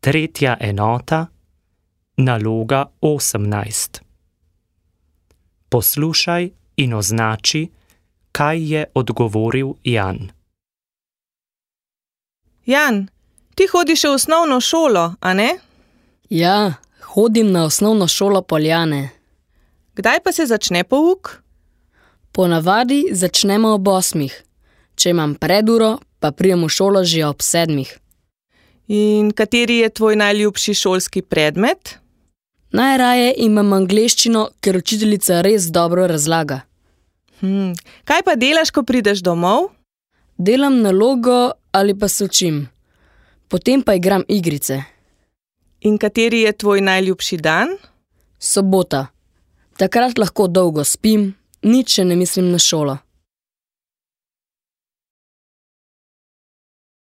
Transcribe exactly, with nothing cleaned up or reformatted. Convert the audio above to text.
Tretja enota, naloga osemnajst. Poslušaj in označi, kaj je odgovoril Jan. Jan, ti hodiš v osnovno šolo, a ne? Ja, hodim na osnovno šolo Poljane. Kdaj pa se začne pouk? Ponavadi začnemo ob osmih. Če imam preduro, pa pridem v šolo že ob sedmih. In kateri je tvoj najljubši šolski predmet? Najraje imam angleščino, ker učiteljica res dobro razlaga. Hm, kaj pa delaš, ko prideš domov? Delam nalogo ali pa se učim. Potem pa igram igrice. In kateri je tvoj najljubši dan? Sobota. Takrat lahko dolgo spim, nič še ne mislim na šolo.